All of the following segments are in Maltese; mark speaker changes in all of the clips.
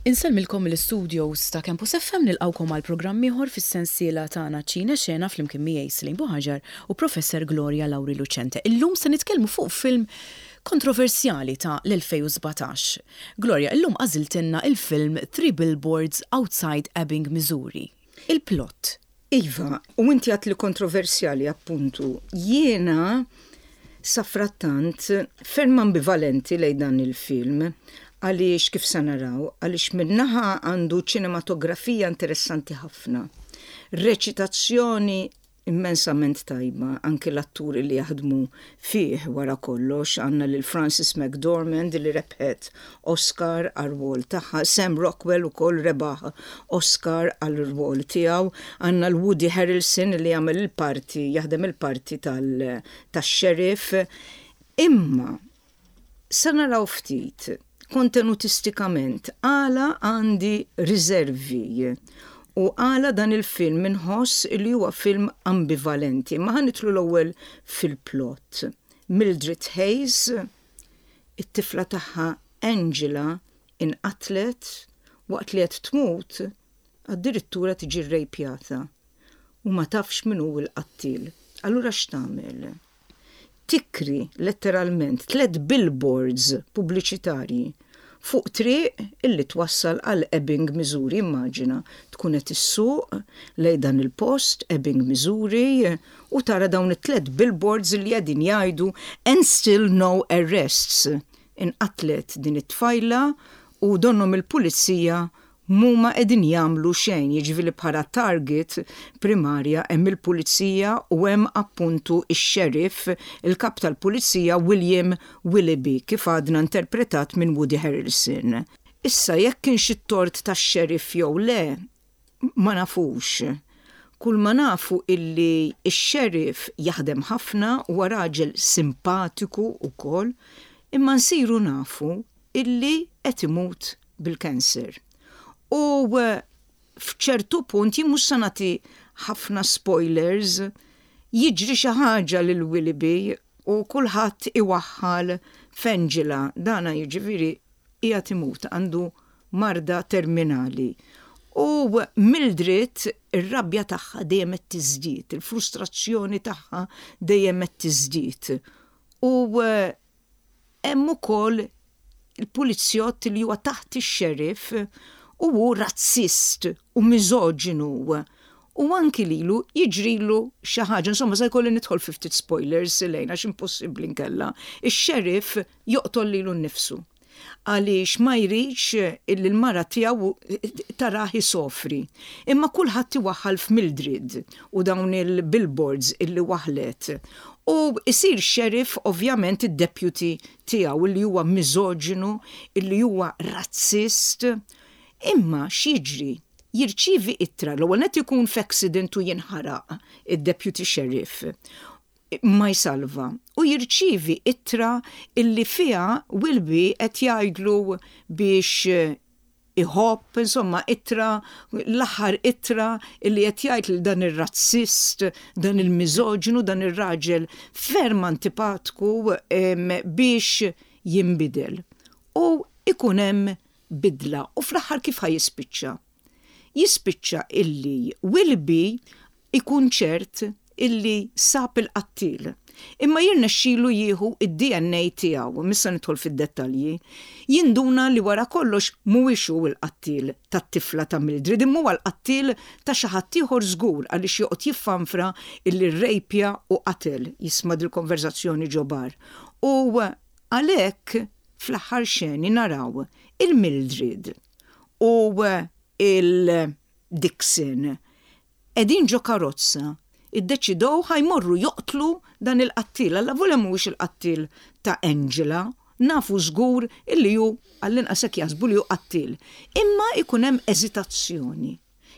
Speaker 1: Insellmilkom mill-istudios ta' Campus FM nilqgħukom għal programm ieħor fis-sensiela tagħna Ċine Xena flimkien miegħi Celine Buhaġar u Professor Gloria Lauri Lucente. Illum se nitkellmu fuq film kontroversjali ta' l-2017. Gloria, illum għażiltilna il-film Three Billboards Outside Ebbing, Missouri. Il-plot.
Speaker 2: Iva, u inti għedt li kontroversjali appuntu. Jiena safrattant ferm ambivalenti lejn dan il-film għaliex kif se naraw, għaliex min-naħa għandu ċinematografija interessanti ħafna, reċitazzjoni immensament tajba, anki l-atturi li jaħdmu fih wara kollox, għandna lil Frances McDormand li rebħet Oscar għar-rwol tagħha, Sam Rockwell ukoll rebaħ Oscar għal-rwol tiegħu, għandna l-Woody Harrelson li jagħmel il-parti, jaħdem il-parti tax-sheriff. Imma sa naraw ftit kontenutistikament għala għandi riservi u għala dan il-film inħoss li huwa film ambivalenti. Ma ħa nidħlu l-ewwel fil-plot. Mildred Hayes, it-tifla tagħha Angela inqatlet waqt li qed tmut addirittura tiġi rrejpjata u ma tafx min hu l-qattil. Allura x'tagħmel? Tikri letteralment tlett billboards pubbliċitarji fuq triq illi twassal għal Ebbing, Missouri. Immaġina tkun qed issuq lejn dan il-post, Ebbing, Missouri, u tara dawn it-tlett billboards illi qegħdin jgħidu "And still no arrests". Inqatlet din it-tfajla u donnhom il-pulizija M'huma qegħdin jagħmlu xejn, jiġifieri bħala target primarja hemm il-pulizija u hemm appuntu x-sheriff, il-kap tal-pulizija William Willoughby, kif għadna interpretat minn Woody Harrelson. Issa jekk kienx it-tort tax-sheriff jew le, ma nafux. Kull ma nafu illi x-sheriff jaħdem ħafna, huwa raġel simpatiku wkoll, imma nsiru nafu illi qed imut bil-cancer. U f'ċertu punt, jien mhux se nagħti ħafna spoilers, jiġri xi ħaġa lil Willoughby u kulħadd iwaħħal f'Angela. Dana jiġifieri qiegħed imut, għandu marda terminali. U Mildred ir-rabja tagħha dejjem qed tiżdied, il-frustrazzjoni tagħha dejjem qed tiżdied. U Hemm ukoll il-pulizjott li huwa taħt ix-sheriff u hu razzist u miżoġinu u anki lilu jiġrilu xi ħaġa. Insomma, se jkolli nidħol fi ftit spoilers, Elaine, għax impossibbli nkella. Ix-sheriff joqtol lilu nnifsu għaliex ma jridx illi l-mara tiegħu tarah isofri. Imma kulħadd iwaħħal f'Mildred u dawn il-billboards illi waħħlet. U jsir sheriff ovvjament id-deputy tiegħu illi huwa miżoġinu, illi huwa razzist. Imma x'jiġri? Jirċievi ittra, l-ewwel nett ikun f'accident u jinħaraq id-deputy sheriff. Ma jsalva. U jirċievi ittra illi fiha Wilby qed jgħidlu biex iħobb, insomma, ittra, l-aħħar ittra illi qed jgħid lil dan ir-razzist, dan il-miżoġinu, dan ir-raġel ferm antipatku biex jinbidel. U ikun hemm bidla. U fl-aħħar kif ħa jispiċċa? Jispiċċa illi Wilby ikun ċert illi sab il-qattiel. Imma jirnexxilu jieħu d-DNA tiegħu, mhux se nidħol fid-dettalji. Jinduna li wara kollox mhuwiex hu l-qattiel tat-tifla ta' Mildred imma huwa l-qattiel ta' xi ħadd ieħor żgur għaliex joqgħod jiffanfra illi rrejpja u qatel, jisma' dil-konverżazzjoni ġo bar. U għalhekk fl-aħħar xeni naraw il-Mildred u il-Dixon qegħdin ġo karozza, iddeċidew ħa jmorru joqtlu dan il-qattiel, allavolja mhuwiex il-qattiel ta' Angela, nafu żgur illi hu, għall-inqas hekk jaħsbu li hu qattiel. Imma jkun hemm eżitazzjoni.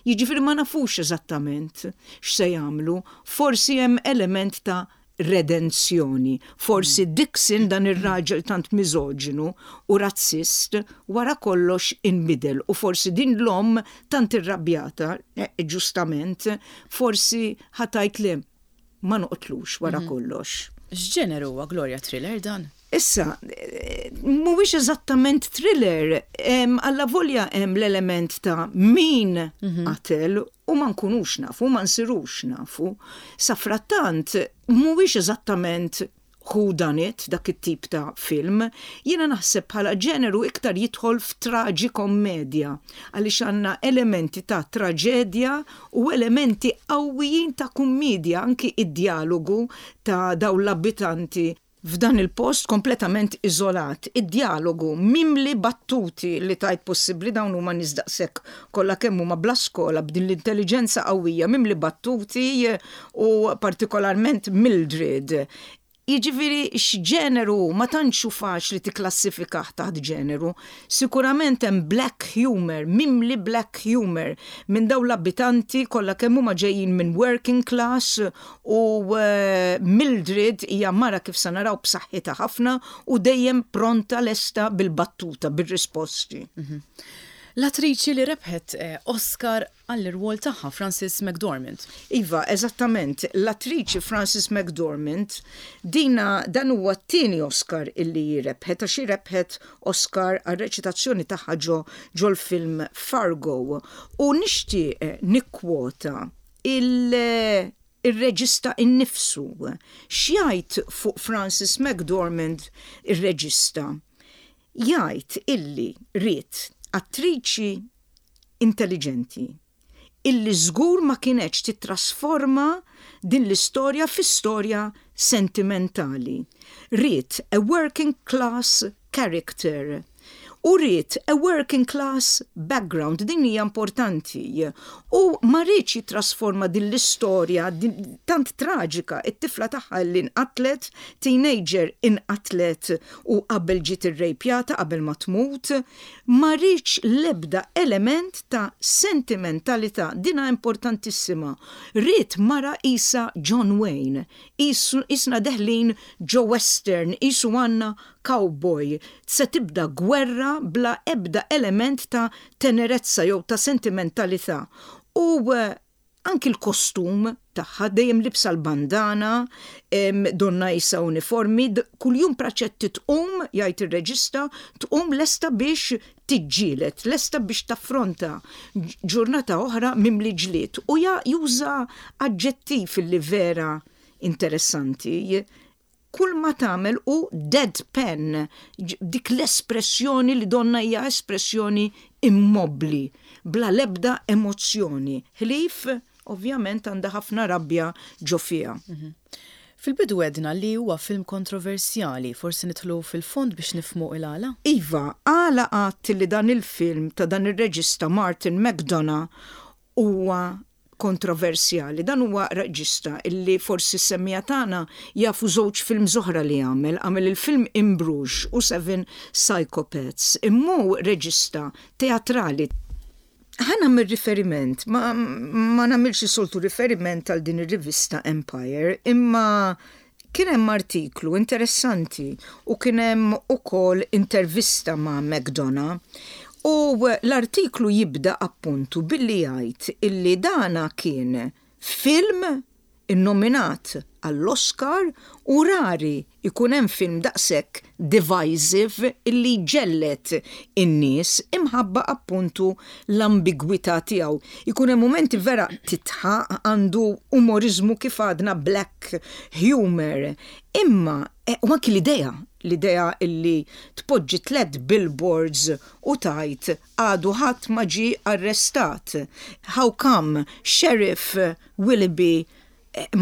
Speaker 2: Jiġifieri ma nafux eżattament x'se jagħmlu, forsi hemm element ta' redenzjoni. Forsi Dixon, dan ir-raġel tant miżoġinu u razzist, wara kollox inbidel u forsi din l-omm tant irrabjata, ġustament, forsi ħa tgħid le, ma noqtlux wara kollox.
Speaker 1: X'ġeneru huwa Gloria Thriller dan?
Speaker 2: Issa, mhuwiex eżattament thriller, allavolja hemm l-element ta' min qatel u ma nkunux nafu, ma nsirux nafu. Safrattant, mhuwiex eżattament who done it, dak it-tip ta' film. Jiena naħseb bħala ġeneru iktar jidħol f'traġikomedja, għaliex għandna elementi ta' traġedja u elementi qawwijin ta' kummiedja, anki id-djalogu ta' dawn l-abitanti f'dan il-post kompletament iżolat, id-djalogu mimli battuti li tgħid possibbli dawn huma nies daqshekk kollha kemm huma bla skola b'din l-intelliġenza qawwija mimli battuti u partikolarment Mildred. Jiġifieri x'ġeneru hu ma tantx hu faċli tikklassifikah taħt ġeneru. Sikurament hemm black humour, mimli black humour minn dawn l-abitanti kollha kemm huma ġejjin minn working class u Mildred hija mara kif se naraw b'saħħitha ħafna u dejjem pronta lesta bil-battuta, bir-risposti.
Speaker 1: L-attriċi li rebħet Oscar għall-irwol tagħha, Frances McDormand.
Speaker 2: Iva, eżattament. L-attriċi Frances McDormand, dina dan huwa t-tieni Oscar illi hi rebħet għax hi rebħet Oscar għar-reċitazzjoni tagħha ġo ġol-film Fargo. U nixtieq nikkwota il ir-reġista innifsu. X'jgħid fuq Frances McDormand ir-reġista? Jgħid illi ried attriċi intelliġenti illi żgur ma kinetx tittrasforma din l-istorja fi storja sentimentali. Ried a working class character u ried a working class background, din hija importanti, u ma riedx jittrasforma din l-istorja tant traġika, it-tifla tagħha li nqatlet, teenager inqatlet u qabel ġiet irrejpjata qabel ma tmut, ma riedx l-ebda element ta' sentimentalità, dinha importantissima. Ried mara qisha John Wayne, qisna deħlin ġo western, qisu għandna cowboy, se tibda gwerra bla ebda element ta' tenerezza jew ta' sentimentalità. U anki l-kostum tagħha, dejjem libsa l-bandana, donnha qisha uniformi, kuljum Praċetti tqum, jgħid ir-reġista, tqum lesta biex tiġġieled, lesta biex taffronta ġurnata oħra mimli ġlied. U juża aġġettiv li vera interessanti, Kull ma tagħmel hu deadpan, dik l-espressjoni li donnha hija espressjoni immobbli, bla l-ebda emozzjoni, ħlief, ovvjament, għandha ħafna rabja ġo fiha.
Speaker 1: Fil-bidu għedna li huwa film kontroversjali, forsi nidħlu fil-fond biex nifhmu il-għala?
Speaker 2: Iva, għala għedt li dan il-film ta' dan ir-reġista Martin McDonagh huwa kontroversjali. Dan huwa reġista illi forsi s-semmiegħa tagħna jafu żewġ films oħra li għamel. Għamel il-film In Bruges u Seven Psychopaths. Imma hu reġista teatrali. Ħa nagħmel riferiment, ma, ma nagħmilx is-soltu riferiment għal din ir-rivista Empire, imma Kien hemm artiklu interessanti u kien hemm ukoll intervista ma' McDonagh u l-artiklu jibda appuntu billi jgħid illi dana kien film innominat għall-Oscar u rari jkun hemm film daqshekk divisive illi jġelled in-nies imħabba appuntu l-ambigwità tiegħu. Ikun hemm mumenti vera tidħaq, għandu umoriżmu kif għadna black humour. Imma, u anki l-idea, l-idea illi tpoġġi tlett billboards u tgħid għadu ħadd ma ġie arrestat. How come Sheriff Willoughby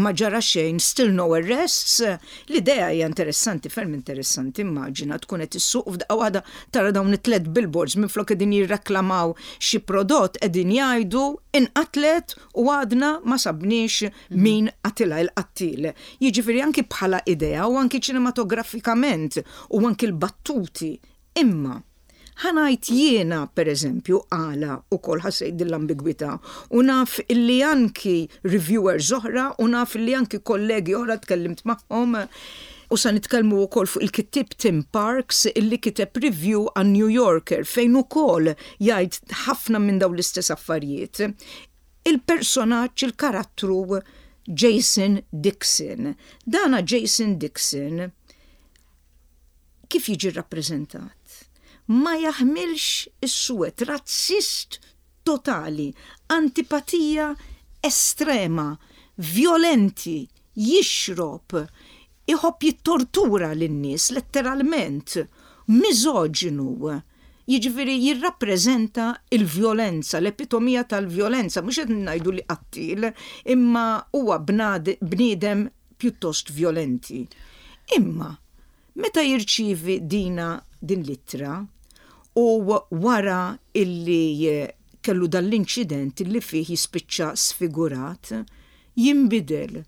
Speaker 2: Ma ġara xejn, still no arrests. L-idea hija interessanti, ferm interessanti, immaġina tkun qed issuq u f'daqqa waħda tara dawn it-tlett billboards minflok qegħdin jirreklamaw xi prodott qegħdin jgħidu inqatlet u għadna ma sabniex min qatilha il-qattiel. Jiġifieri anki bħala idea u anki ċinematografikament u anki l-battuti. Imma Ħa ngħid jiena, per eżempju, għala ukoll ħassejt din l-ambigwità u naf illi anki reviewers oħra u naf illi anki kollegi oħra tkellimt magħhom u sa nitkellmu wkoll fuq il-kittieb Tim Parks illi kiteb review għan-New Yorker fejn ukoll jgħid ħafna minn dawn l-istess affarijiet. Il-personaġġ, il-karattru Jason Dixon. Dana Jason Dixon. Kif jiġi rrappreżentat? Ma jaħmilx is-suwed, razzist totali, antipatija estrema, vjolenti, jixrob, iħobb jittortura lin-nies letteralment, miżoġinu. Jiġifieri jirrappreżenta l-vjolenza, l-epitomija tal-vjolenza, mhux qed ngħidu li qattiel, imma huwa bniedem pjuttost vjolenti. Imma meta jirċievi dina din l-ittra u wara illi kellu dan l-inċident illi fih jispiċċa sfigurat, jinbidel.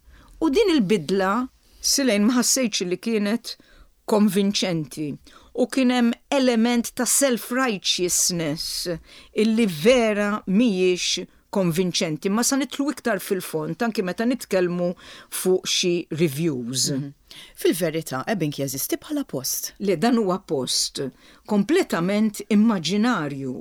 Speaker 2: U din il-bidla, Silejn, ma ħassejtx illi kienet konvinċenti u kien hemm element ta' self-righteousness illi vera mhijiex konvinċenti, imma sa nidħlu iktar fil-fond anki meta nitkellmu fuq xi reviews.
Speaker 1: Fil-verità, Ebbing jeżisti bħala post.
Speaker 2: Le, dan huwa post kompletament immaġinarju,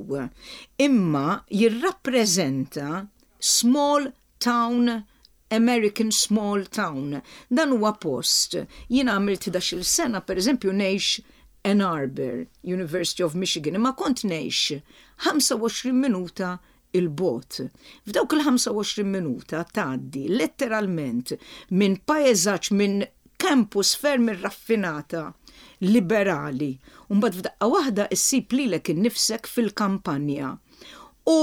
Speaker 2: imma jirrappreżenta small town American small town. Dan huwa post. Jien għamilt 11-il sena, per eżempju, ngħix Ann Arbor, University of Michigan, imma kont ngħix 25 minuta 'il bogħod. F'dawk il-25 minuta tgħaddi letteralment minn paeżaġġ minn campus ferm irraffinata, liberali, u mbagħad f'daqqa waħda issib lilek innifsek fil-kampanja. U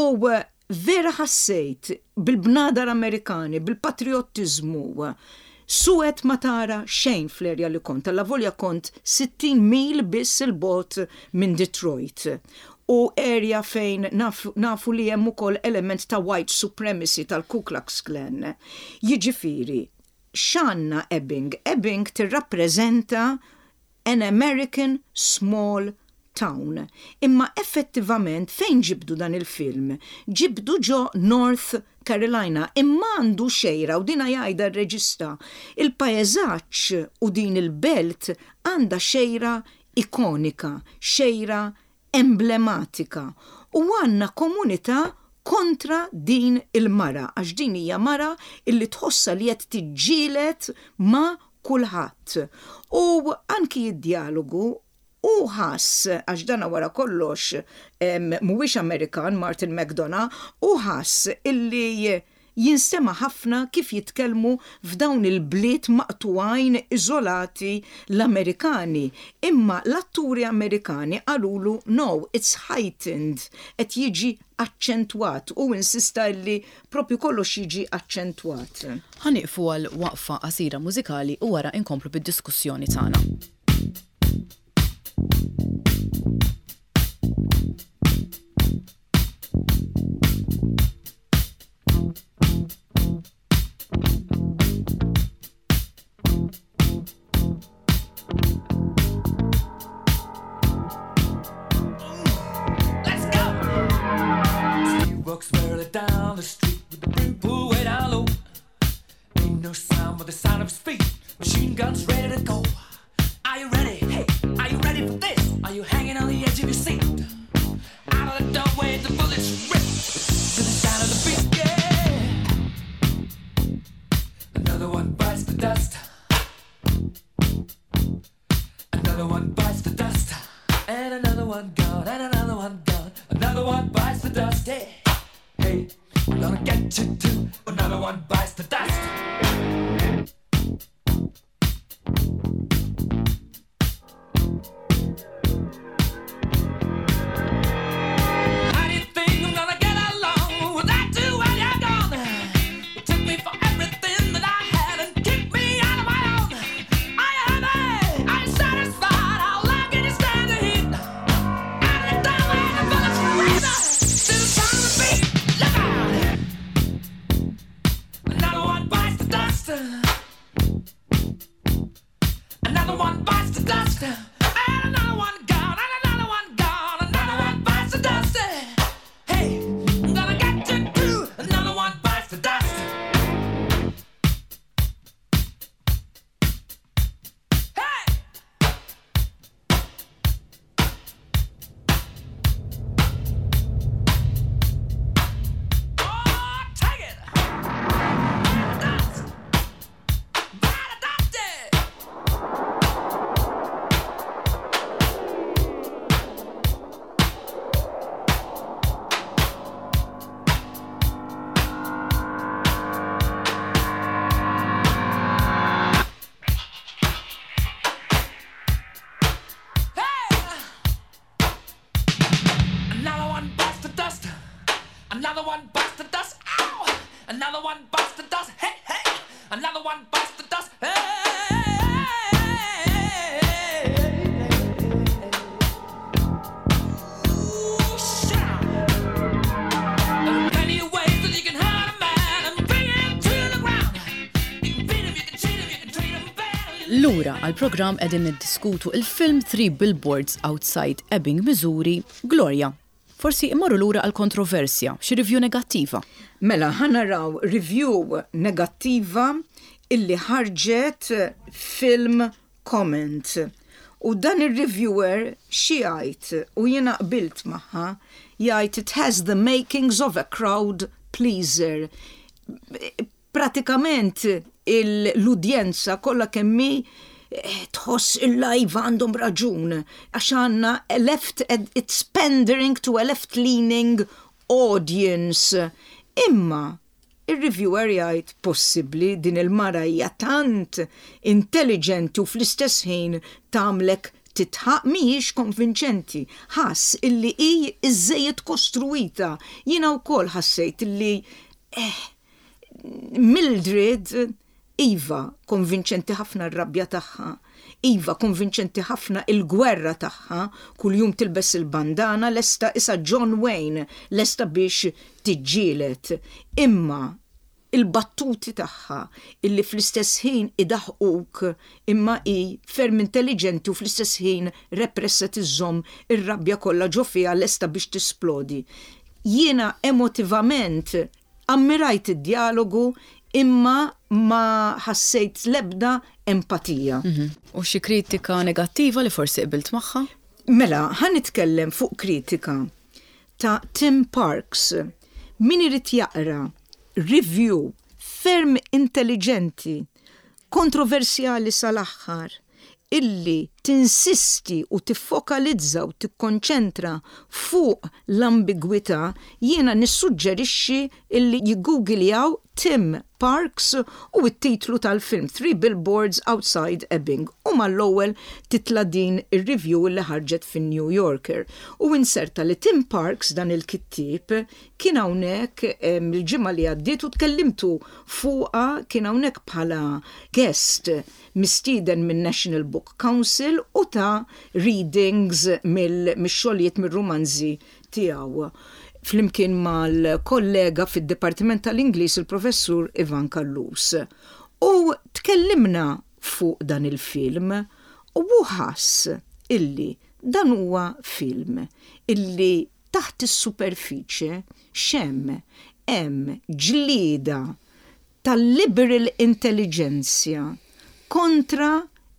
Speaker 2: Vera ħassejt bil-bnadar Amerikani, bil-patrijottiżmu. Suwed ma tara xejn fl-erja li kont, allavolja kont 60 mil biss 'il bogħod minn Detroit. U erja fejn nafu li hemm ukoll element ta' white supremacy tal-Ku Klux Klan. Jiġifieri, x'għandna Ebbing? Ebbing tirrappreżenta An American Small Town. Imma effettivament fejn ġibdu dan il-film? Ġibdu ġo North Carolina imma għandu xejra u dina jgħidha r-reġista. Il-paeżaġġ u din il-belt għandha xejra ikonika, xejra emblematika u għandna komunità kontra din il-mara għax din hija mara illi tħossha li qed tiġġieled ma' kulħadd. U anki d-djalogu hu ħass, għax dana wara kollox mhuwiex Amerikan Martin McDonagh, hu ħass illi Jinstema' ħafna kif jitkellmu f'dawn il-bliet maqtugħin iżolati l-Amerikani, imma l-atturi Amerikani qalulu no, it's heightened, qed jiġi aċċentwat, hu insista illi propju kollox jiġi aċċentwat.
Speaker 1: Ħa nieqfu għal waqfa qasira mużikali u wara inkomplu bid-diskussjoni tagħna. Down the street with the brim pulled way down low. Ain't no sound but the sound of his feet. Machine guns ready to go. Are you ready? Hey, are you ready for this? Are you hanging on the edge of your seat? Out of the doorway, the bullets rip to the sound of the beat. Yeah. Another one bites the dust. Another one bites the dust. And another one gone, and another one gone. Another one bites the dust. Hey, hey, I'm gonna get you too. Another one bites the dust. How do you think I'm gonna get along without you when you're gone? You took me for everything that I had and kicked me out of my own. Are you happy? Are you satisfied? How long can you stand the heat? Out of the doorway, the bullets rip to the sound of the beat. Look out! Another one bites the dust.
Speaker 3: dust. Ow! Another one bites the dust. Hey, hey! Another one bites the dust. Hey! Ooh, shout. There are plenty of ways that you can hurt a man and bring him to the ground. You can beat him, you can cheat him, you can treat him bad.
Speaker 1: Lura għall-programm qegħdin niddiskutu il-film Three Billboards Outside Ebbing, Missouri, Gloria. Forsi immorru lura għall-kontroversja, xi review negattiva.
Speaker 2: Mela, ħa naraw review negattiva illi ħarġet Film Comment. U dan ir-reviewer xi jgħid, u jiena qbilt magħha, jgħid it has the makings of a crowd pleaser. Pratikament l-udjenza kollha kemm hi tħoss il-live għandhom raġun għax għandna a left, it's pandering to a left-leaning audience. Imma ir-reviewer jgħid possibbli din il-mara hija tant intelligenti u fl-istess ħin tagħmlek titħaq mhijiex konvinċenti. Ħass illi hi iżżejjed kostruwita. Jiena wkoll ħassejt illi eh, Mildred, iva, konvinċenti ħafna r-rabja tagħha, iva, konvinċenti ħafna il-gwerra tagħha, kuljum tilbes il-bandana, lesta isa John Wayne, lesta biex tiġġieled. Imma il-battuti tagħha illi fl-istess ħin idaħquk imma hi ferm intelliġenti u fl-istess ħin repressa tiżżomm ir-rabja kollha ġo fiha lesta biex tisplodi. Jiena emotivament Ammirajt id-djalogu imma ma ħassejt l-ebda empatija.
Speaker 1: U xi kritika negattiva li forsi qbilt magħha?
Speaker 2: Mela, ħa nitkellem fuq kritika ta' Tim Parks. Min irid jaqra review ferm intelliġenti, kontroversjali sal-aħħar, illi tinsisti u tiffokalizza u tikkonċentra fuq l-ambigwità, jiena nissuġġerixxi illi jiggoogiljaw Tim Parks u t-titlu tal-film Three Billboards Outside Ebbing u mal-ewwel titla' din ir-review illi ħarġet fin-New Yorker. U inserta li Tim Parks, dan il-kittieb, kien hawnhekk il-ġimgħa li għaddiet u tkellimtu fuqha, kien hawnhekk bħala guest mistieden min-National Book Council u ta readings mix-xogħlijiet mir-rumanzi tiegħu flimkien mal-kollega fid-Dipartiment tal-Ingliż il-Professur Ivan Callus. U tkellimna fuq dan il-film u hu ħass illi dan huwa film illi taħt is-superfiċe x'hemm? Hemm ġlieda tal-liberal intelligentsia kontra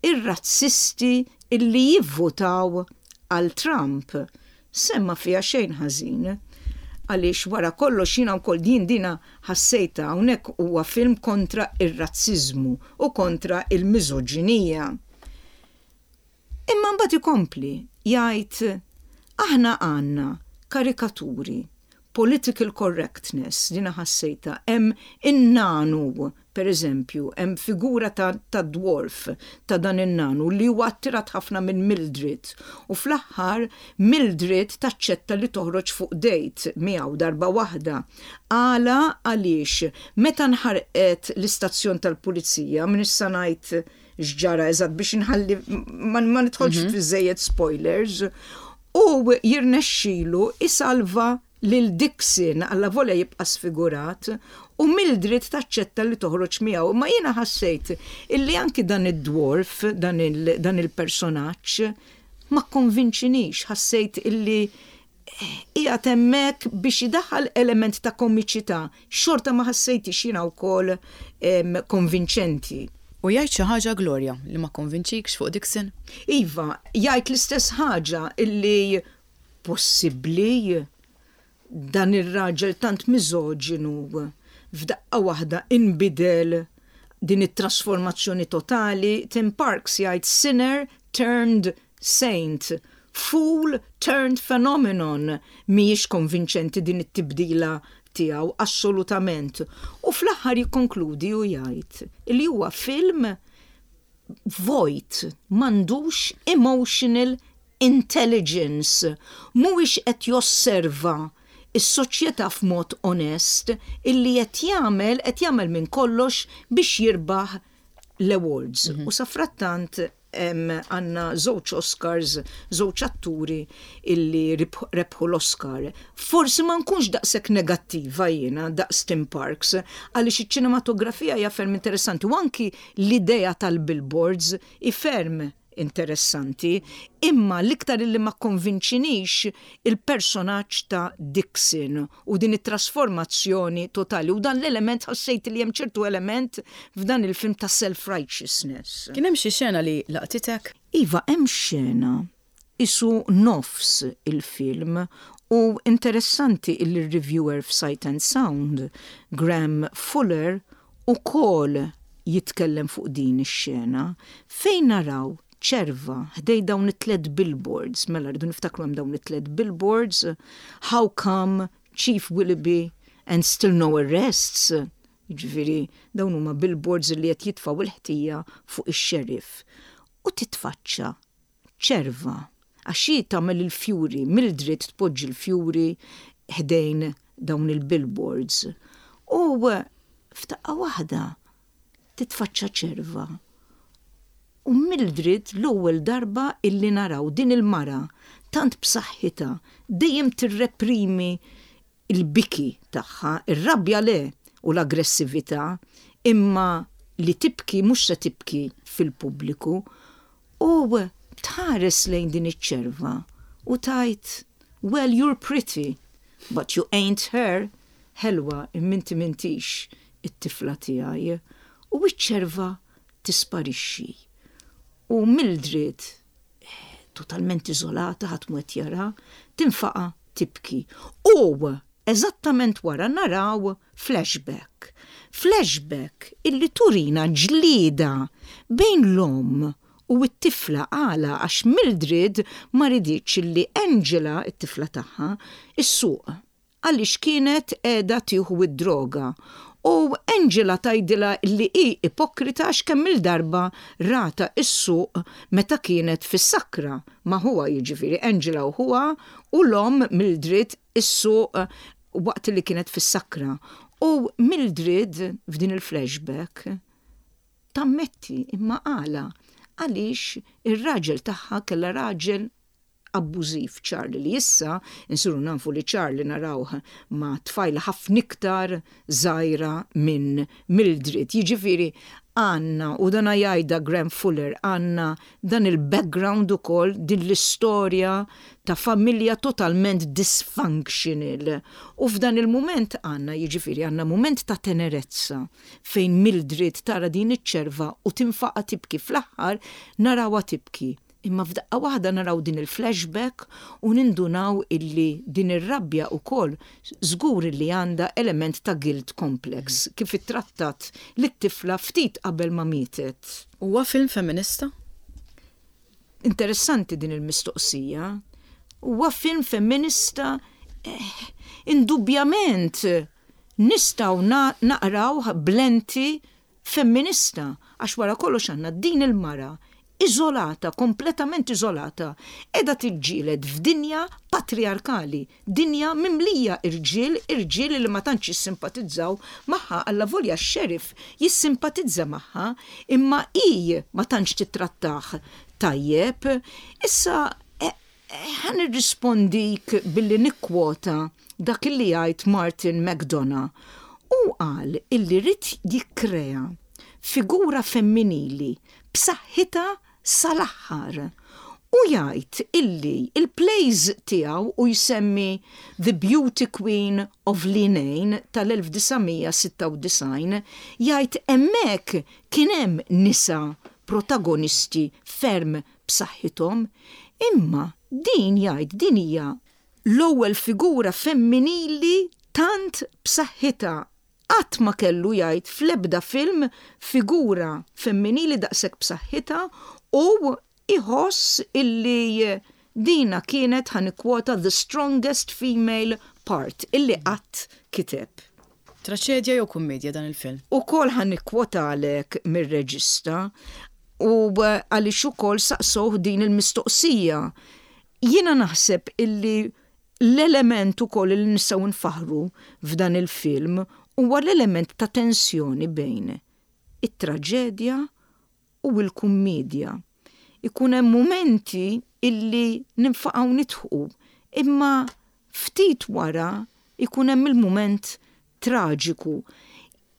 Speaker 2: r-razzisti illi jivvutaw għal Trump. Semma fiha xejn ħażin. Għaliex wara kollox jiena wkoll jien dina ħassejtha hawnhekk huwa film kontra r-razziżmu u kontra l-miżoġinija. Imma mbagħad ikompli jgħid aħna għandna karikaturi, political correctness, dina ħassejtha, hemm in-nanu, per eżempju, hemm figura ta' ta' dwarf ta' dan in-nanu li huwa attirat ħafna minn Mildred u fl-aħħar Mildred taċċetta li toħroġ fuq date miegħu darba waħda. Għala? Għaliex meta nħarqet l-istazzjon tal-pulizija, m'iniex sa ngħid x'ġara eżatt biex inħalli ma nidħolx mhm. fiż-żejjed spoilers, u jirnexxilu isalva lil Dixon alla volja jibqa' sfigurat u Mildred taċċetta li toħroġ miegħu. Ma jiena ħassejt illi anki dan id-dwarf, dan il-personaġġ, ma kkonvinċinix, ħassejt illi qiegħed hemmhekk biex idaħħal element ta' komiċità, xorta ma ħassejtix jiena wkoll konvinċenti.
Speaker 1: U jgħid xi ħaġa Gloria li ma kkonvinċikx fuq Dixon?
Speaker 2: Iva, jgħid l-istess ħaġa illi possibbli dan ir-raġel tant miżoġinu f'daqqa waħda inbidel din it-trasformazzjoni totali, Tim Parks jgħid sinner turned Saint, fool turned phenomenon, mhijiex konvinċenti din it-tibdila tiegħu assolutament. U fl-aħħar jikkonkludi u jgħid li huwa film vojt, m'għandux emotional intelligence, mhuwiex qed josserva. is-soċjetà f'mod onest illi qed jagħmel qed jagħmel minn kollox biex jirbaħ l-awards. U safrattant għandna żewġ Oscars, żewġ atturi illi rebħu l-Oscar. Forsi ma nkunx daqshekk negattiva jiena daqs Tim Parks għaliex iċ-ċinematografija hija ferm interessanti u anki l-idea tal-billboards hi ferm interessanti, imma l-iktar illi ma kkonvinċinix il-personaġġ ta' Dixon u din it-trasformazzjoni totali u dan l-element ħassejt li hemm ċertu element f'dan il-film ta' self-righteousness.
Speaker 1: Kien hemm xi xena li laqtitek?
Speaker 2: Iva, hemm xena qisu nofs il-film u interessanti illi r-reviewer f'Sight and Sound, Graham Fuller, ukoll jitkellem fuq din ix-xena fejn naraw ċerva ħdej dawn it-tlett billboards, mela rridu niftakru hemm dawn it-tlett billboards, how come Chief Willoughby and still no arrests, jiġifieri dawn huma billboards li qed jitfgħu l-ħtija fuq ix-sheriff. U titfaċċa ċerva, għax hi tagħmel il-fjuri, Mildred tpoġġi l-fjuri ħdejn dawn il-billboards. U f'daqqa waħda titfaċċa ċerva. U Mildred l-ewwel darba illi naraw din il-mara tant b'saħħitha dejjem tirreprimi l-biki tagħha, ir-rabja le u l-aggressività, imma li tibki mhux se tibki fil-pubbliku, u tħares lejn din iċ-ċerva u tgħid, Well you're pretty, but you ain't her, ħelwa imma inti m'intix it-tifla tiegħi. U ċ-ċerva tisparixxi. U Mildred totalment iżolata, ħadd mhu qed jaraha, tinfaqa' tibki. U eżattament wara naraw flashback. Flashback illi turina ġlieda bejn l-omm u t-tifla għala għax Mildred ma riditx illi Angela, it-tifla tagħha, issuq. għaliex kienet qiegħda tieħu d-droga u Angela tgħidilha li hi ipokrita għax kemm-il darba ratha ssuq meta kienet fis-sakra ma' ħuha jiġifieri Angela u ħuha u l-omm Mildred issuq waqt li kienet fis-sakra u Mildred f'din il-flashback tammetti imma għala għaliex ir-raġel tagħha kellha raġel abbużiv Charlie li issa nsiru nafu li Charlie narawh ma' tfajla ħafna iktar żgħira minn Mildred. Jiġifieri għandna, u dan jgħidha Graham Fuller, għandna dan il-background ukoll, din l-istorja ta' familja totalment dysfunctional. U f'dan il-mument għandna, jiġifieri għandna mument ta' tenerezza fejn Mildred tara din iċ-ċerva u tinfaqa' tibki. Fl-aħħar narawha tibki. Imma f'daqqa waħda naraw din il-flashback u nindunaw illi din ir-rabja ukoll żgur illi għandha element ta' guilt complex, kif ittrattat lit-tifla ftit qabel ma mietet.
Speaker 1: Huwa film femminista?
Speaker 2: Interessanti din il-mistoqsija. Huwa film femminista? Indubbjament nistgħu naqrawh b'lenti femminista, għax wara kollox għandna din il-mara iżolata, kompletament iżolata, qiegħda tiġġieled f'dinja patrijarkali, dinja mimlija irġiel, irġiel li ma tantx jissimpatizzaw magħha, allavolja x-sheriff jissimpatizza magħha, imma hi ma tantx tittrattah tajjeb. Issa Ħa nirrispondik billi nikkwota dak illi jgħid Martin McDonagh. Hu qal illi ried jikkrea figura femminili b'saħħitha sal-aħħar. Hu jgħid illi l-plays tiegħu, u jsemmi The Beauty Queen of Leenane tal-1996, jgħid hemmhekk kien hemm nisa protagonisti ferm b'saħħithom, imma din jgħid din hija l-ewwel figura femminili tant b'saħħitha. Qatt ma kellu jgħid fl-ebda film figura femminili daqshekk b'saħħitha u jħoss illi dina kienet, ħa nikkwota, the strongest female part illi qatt kiteb.
Speaker 1: Traċedja jew kummiedja dan il-film?
Speaker 2: Ukoll ħa nikkwotalek mir-reġista u għaliex ukoll saqsewh din il-mistoqsija. Jiena naħseb illi L-element ukoll li nistgħu nfaħħru f'dan il-film huwa l-element ta' tensjoni bejn it-traġedja u l-kummiedja. Ikun hemm mumenti illi ninfaqgħu nidħqu, imma ftit wara jkun hemm il-mument traġiku.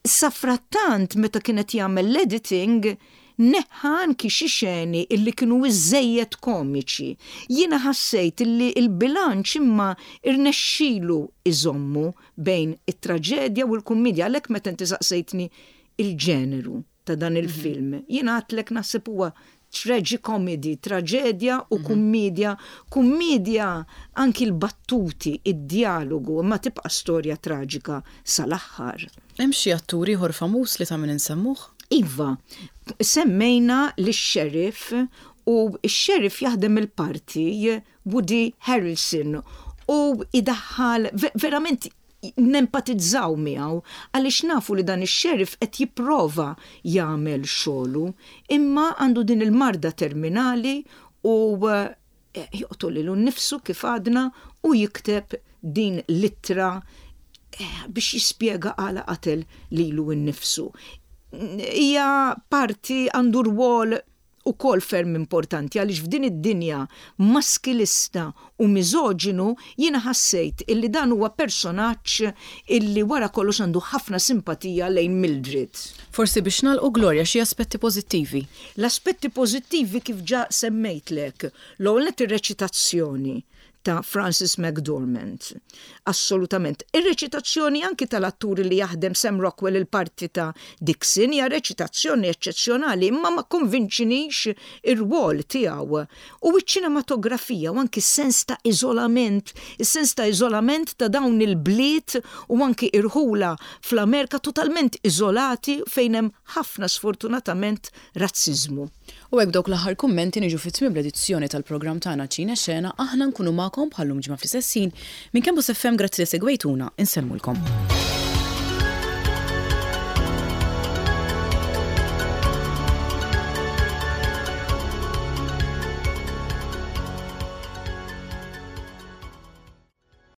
Speaker 2: Safrattant meta kien qed jagħmel l-editing neħħa anki xi xeni illi kienu iżżejjed komiċi. Jiena ħassejt illi l-bilanċ imma rnexxilu iżommu bejn it-traġedja u l-kummiedja għalhekk meta inti saqsejtni il-ġeneru ta' dan il-film, jiena għedtlek naħseb huwa tragicomedy, traġedja u kummiedja, kummiedja anki l-battuti, id-djalogu, imma tibqa' storja traġika sal-aħħar.
Speaker 1: Hemm xi attur ieħor famuż li ta' min insemmuh?
Speaker 2: Iva, semmejna lix-Sheriff u x-Sheriff jaħdem il-parti Woody Harrelson u jdaħħal verament nempatizzaw miegħu għaliex nafu li dan ix-sheriff qed jipprova jagħmel xogħlu imma għandu din il-marda terminali u joqtol lilu nnifsu kif għadna u jikteb din l-ittra biex jispjega għala qatel lilu nnifsu. Hija parti għandu rwol ukoll ferm importanti għaliex f'din id-dinja maskilista u miżoġinu jiena ħassejt illi dan huwa personaġġ illi wara kollox għandu ħafna simpatija lejn Mildred.
Speaker 1: Forsi biex nagħlqu Gloria xi aspetti pożittivi?
Speaker 2: L-aspetti pożittivi kif ġa semmejtlek, l-ewwel nett ir-reċitazzjoni ta' Frances McDormand. Assolutament. Ir-reċitazzjoni anki tal-atturi li jaħdem Sam Rockwell il-parti ta' Dixon hija reċitazzjoni eċċezzjonali imma ma kkonvinċinix ir-rwol tiegħu. U ċ-ċinematografija u anki s-sens ta' iżolament, is-sens ta' iżolament ta' dawn il-bliet u anki irħula fl-Amerika totalment iżolati fejn hemm ħafna sfortunatament razziżmu.
Speaker 1: U hekk b'dawk l-aħħar kummenti niġu fi tmiem l-edizzjoni tal-programm tagħna Ċine Xena, aħna nkunu magħkom bħal-lum ġimgħa fl-istess ħin. Minn Campus FM grazzi li segwejtuna, insellmulkom.